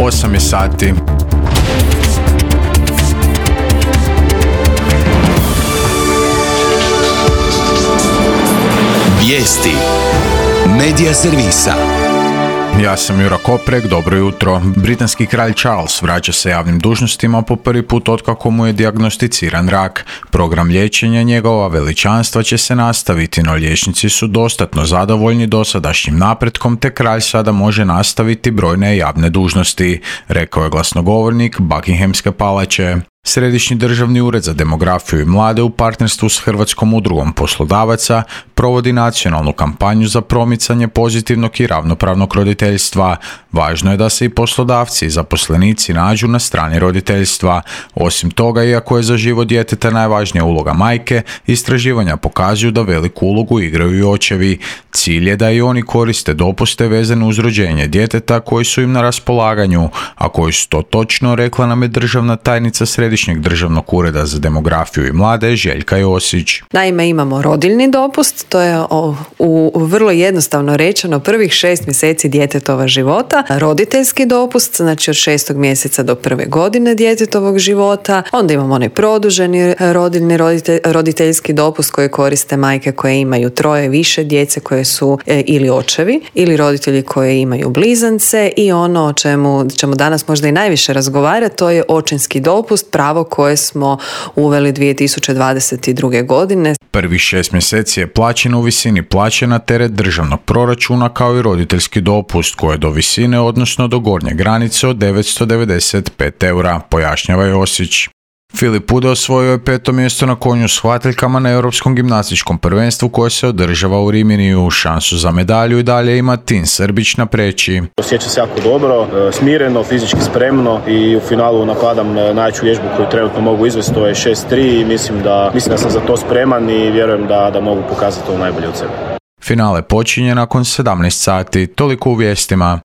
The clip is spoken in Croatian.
8 je sati. Vijesti Medija servisa. Ja sam Jura Koprek, dobro jutro. Britanski kralj Charles vraća se javnim dužnostima po prvi put otkako mu je dijagnosticiran rak. Program liječenja njegova veličanstva će se nastaviti, no liječnici su dostatno zadovoljni dosadašnjim napretkom, te kralj sada može nastaviti brojne javne dužnosti, rekao je glasnogovornik Buckinghamske palače. Središnji državni ured za demografiju i mlade u partnerstvu s Hrvatskom udrugom poslodavaca provodi nacionalnu kampanju za promicanje pozitivnog i ravnopravnog roditeljstva. Važno je da se i poslodavci i zaposlenici nađu na strani roditeljstva. Osim toga, iako je za život djeteta najvažnija uloga majke, istraživanja pokazuju da veliku ulogu igraju i očevi. Cilj je da i oni koriste dopuste vezane uz rođenje djeteta koji su im na raspolaganju, a koji su to točno, rekla nam je državna tajnica Središnjeg državnog ureda za demografiju i mlade Željka Josić. Naime, imamo rodiljni dopust, to je u vrlo jednostavno rečeno prvih 6 mjeseci djetetova života, roditeljski dopust, znači od 6. mjeseca do 1. godine djetetovog života, onda imamo onaj produženi rodiljni roditeljski dopust koji koriste majke koje imaju 3 više djece koje su ili očevi ili roditelji koji imaju blizance, i ono o čemu ćemo danas možda i najviše razgovarati, to je očinski dopust, pravo koje smo uveli 2022. godine. Prvih 6 mjeseci je plaćen u visini plaće na teret državnog proračuna, kao i roditeljski dopust koji je do visine, odnosno do gornje granice od 995 eura, pojašnjava Josić. Filip Ude osvojio je 5. mjesto na konju s hvataljkama na Europskom gimnastičkom prvenstvu koje se održava u Riminiju. Šansu za medalju i dalje ima Tin Srbić na preći. Osjećam se jako dobro, smireno, fizički spremno i u finalu nakladam najjaču vježbu koju trenutno mogu izvesti, to je 6-3 i mislim da sam za to spreman i vjerujem da mogu pokazati to najbolje od sebe. Finale počinje nakon 17 sati, toliko u vijestima.